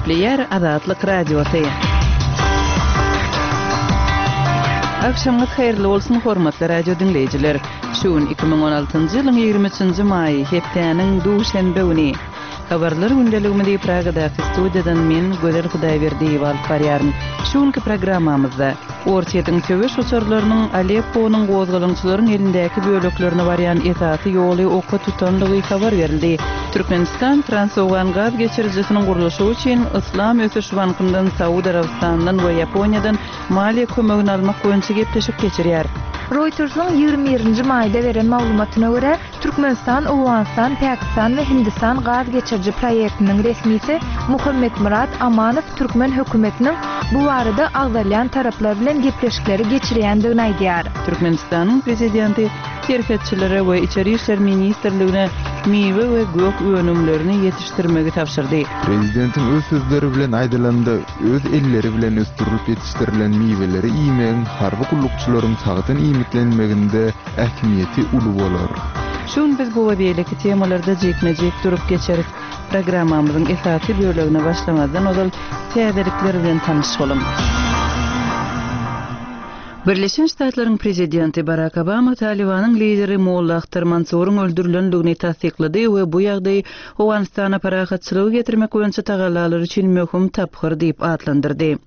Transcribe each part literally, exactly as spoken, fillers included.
Gepleýär Azatlyk Radiosy. Agşamyňyz haýyrly bolsun, hormatly radio diňleýjiler. Şu gün iki müň on altynjy ýylyň ýigrimi üçünji maýy, hepdäniň duşenbe güni. Habarlar gündeligimizi Pragadaky studiýadan men, Gözel Hudaýberdiýewa alyp barýaryn. Şu günki programmamyzda Orsýetiň söweş uçarlarynyň Alepponyň gozgalaňçylaryň elindäki böleklerine barýan esasy ýoly oka tutandygy habar berildi. Türkmenistan Transowgan gaz geçirijisiniň gurluşygy üçin Yslam ösüş bankyndan, Saud Arabystanyndan we Ýaponiýadan maliýe kömegini almak boýunça gepleşik geçirýär. Reutersiň ýigrimi birinji maýda beren maglumatyna görä, Türkmenistan, Owganystan, Pakistan we Hindistan gaz geçiriji proýektiniň resmisi Muhammetmyrat Amanow türkmen hökümetiniň bu barada agzalýan taraplar bilen gepleşikleri geçirýändigini aýdýar. Türkmenistanyň prezidenti serhetçilere we Içeri işler ministrligine miwe we gök önümlerini ýetişdirmegi tabşyrdy. Prezidentiň öz sözleri bilen aýdylanda, öz elleri bilen ösdürilip ýetişdirilen miweleri iýmegiň harby gullukçylaryň sagdyn iýmitlenmeginde ähmiýeti uly bolar. Şu gün biz bu we beýleki temalarda jikme-jik durup geçeris. Programmamyzyň esasy bölegine başlamazdan ozal täzelikler bilen tanyş boluň. Birleşen Ştatlaryň prezidenti Barak Obama Talibanyň lideri Molla Ahtar Mansuryň öldürilendigini tassyklady we bu ýagdaýy Owganystana parahatçylygy getirmek boýunça tagallalar üçin möhüm tapgyr diýip atlandyrdy.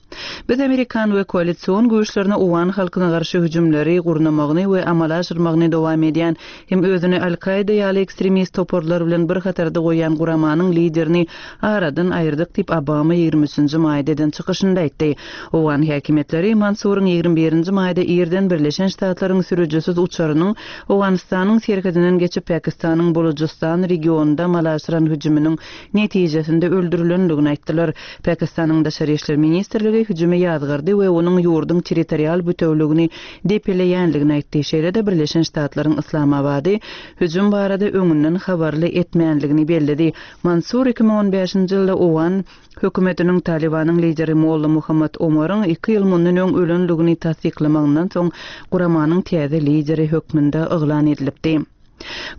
Biz amerikan we koalision güýçlerine owgan halkyna garşy hüjümleri gurnamagyny we amala aşyrmagyny dowam edýän hem özüni Al-Kaida ýaly ekstremist toparlar bilen bir hatarda goýýan guramanyň liderini aradan aýyrdyk diýip Obama ýigrimi üçünji maýda eden çykyşynda aýtdy. Owgan häkimiýetleri Mansuryň ýigrimi birinji maýda irden Birleşen Ştatlaryň sürüjisiz uçarynyň Owganystanyň serhedinden geçip Pakistanyň Bolujystan regionynda amala aşyran hüjüminiň netijesinde öldürilendigini aýtdylar. Pakistanyň Daşary işler ministrligi hüjümi ýazgardy we onuň ýurduň territorial bütewligini depeleýänligini aýtdy. Şeýle-de Birleşen Ştatlaryň Islamabady hüjüm barada öňünden habarly etmänligini belledi. Mansur iki müň on bäşinji ýylda Owgan hökümetiniň Talibanyň lideri Molla Muhammad Omaryň iki ýyl mundan öň ölenligini tassyklamagyndan soň guramanyň täze lideri hökmünde yglan edilipdi.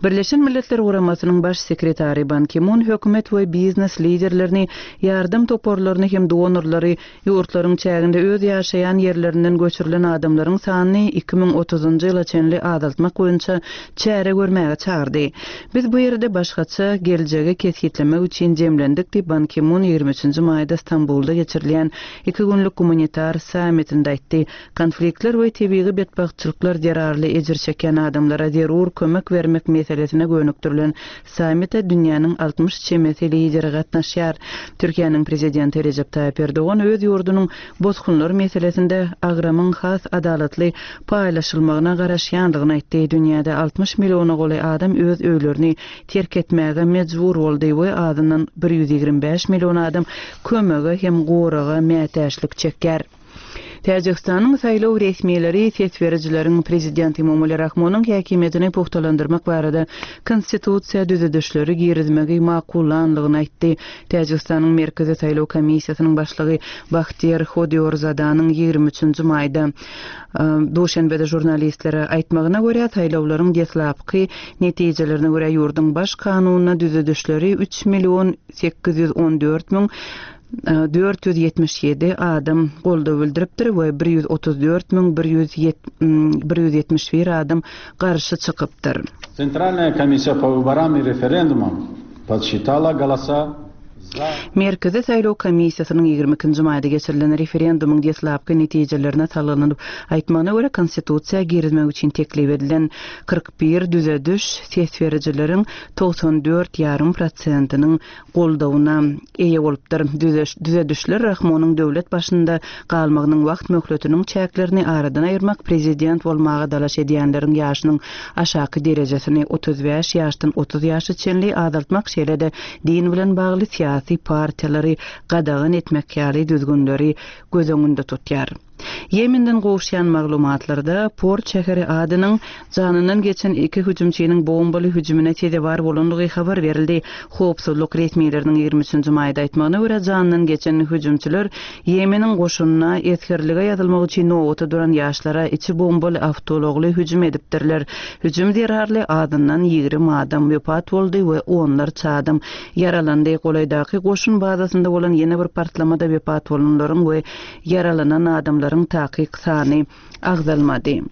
Birleşen Milletler Guramasynyň baş sekretary Ban Ki-mun hökümet we biznes liderlerini, ýardam toparlaryny hem donorlary ýurtlaryň çäginde öz ýaşaýan ýerlerinden göçürilen adamlaryň sanyny iki müň otuzynjy ýyla çenli azaltmak boýunça çäre görmäge çagyrdy. Biz bu ýerde başgaça geljegi kesgitlemek üçin jemlendik diýip Ban Ki-mun ýigrimi üçünji maýda Stambulda geçirilýän iki günlük gumanitar sammitinde aýtdy. Konfliktler we tebigy betbagtçylyklar zerarly ejir çekýän adamlara zerur kömek bermek meselesine gönükdirilen sammite dünýäniň altmyş çemesi lideri gatnaşýar. Türkiýäniň prezidenti Recep Tayyip Erdogan öz ýurdunyň bosgunlar meselesinde agramyň has adalatly paýlaşylmagyna garaşýandygyny aýtdy. Dünýäde altmyş milliona golaý adam öz öýlerini terk etmäge mejbur boldy we azyndan bir ýüz ýigrimi bäş million adam kömege hem goraga mätäçlik çekýär. Täjikistanyň saýlaw resmileri ses berijileriň prezidenti Emomali Rahmonyň häkimiýetini pugtalandyrmak barada konstitusiýa düzedişleri girizmegi makullanlygyny aýtdy. Täjikistanyň Merkezi saýlaw komissiýasynyň başlygy Bahtiýar Hodiýorzadanyň ýigrimi üçünji maýda, e, Duşenbede žurnalistlere aýtmagyna görä saýlawlaryň deslapky netijelerine görä ýurduň baş kanunyna düzedişleri üç million sekiz ýüz on dört müň dört ýüz ýetmiş ýedi adam goldaw bildiripdir we bir ýüz otuz dört müň bir ýüz ýet-, bir ýüz ýetmiş bir adam garşy çykypdyr. Центральная комиссия по выборам и референдумам подсчитала голоса за Merkezi saýlaw komissiýasynyň ýigrimi ikinji maýda geçirilen referendumyň deslapky netijelerine salgylanyp aýtmagyna görä konstitusiýa girizmek üçin teklip edilen kyrk bir düzediş ses berijileriň togsan dört ýarym prosentiniň goldawyna eýe bolupdyr. Düzeş-, düzedişler Rahmonyň döwlet başynda galmagynyň wagt möhletiniň çäklerini aradan aýyrmak, prezident bolmaga dalaş edýänleriň ýaşynyň aşaky derejesini otuz bäş ýaşdan otuz ýaşa çenli azaltmak, şeýle-de din bilen bagly syýasy partiýalary gadagan etmek ýaly düzgünleri göz öňünde tutýar. Ýemenden gowuşýan maglumatlarda, port şäheri Adeniň janyndan geçen iki hüjümçiniň bombaly hüjümine sezewar bolandygy habar berildi. Howpsuzlyk resmileriniň ýigrimi üçünji maýda aýtmagyna görä, janyndan geçen hüjümçiler Ýemeniň goşunyna esgerlige ýazylmak üçin nobata duran ýaşlara içi bombaly awtoulagly hüjüm edipdirler. Hüjüm zerarly azyndan ýigrimi adam wepat boldy we onlarça adam ýaralandy. Golaýdaky goşun bazasynda bolan ýene bir partlamada wepat bolanlaryň we ýaralanan adamlaryň takyk sany agzalmady.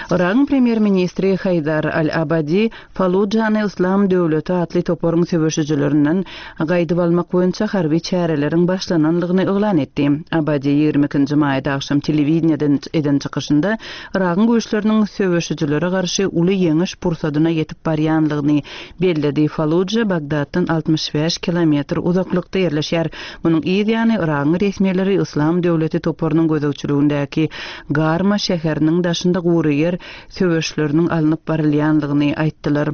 Yragyň premýer-ministri Haýdar al-Abadi Fallujany Yslam döwleti atly toparyň söweşijilerinden gaýdyp almak boýunça harby çäreleriň başlanandygyny yglan etdi. Abadi ýigrimi ikinji maýda agşam telewideniýeden eden çykyşynda Yragyň güýçleriniň söweşijilere garşy uly ýeňiş pursadyna ýetip barýanlygyny belledi. Falluja Bagdatdan altmyş bäş kilometr uzaklykda ýerleşýär. Munuň yz ýany Yragyň resmileri Yslam döwleti toparynyň gözegçiligindäki Garma şäheriniň daşynda gury ýer söweşleriniň alnyp barylýandygyny aýtdylar.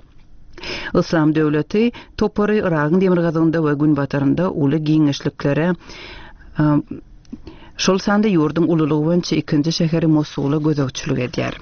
Yslam döwleti topary Yragyň demirgazygynda we günbatarynda uly giňişliklere, şol sanda ýurduň ululygy boýunça ikinji şäheri Mosula gözegçilik edýär.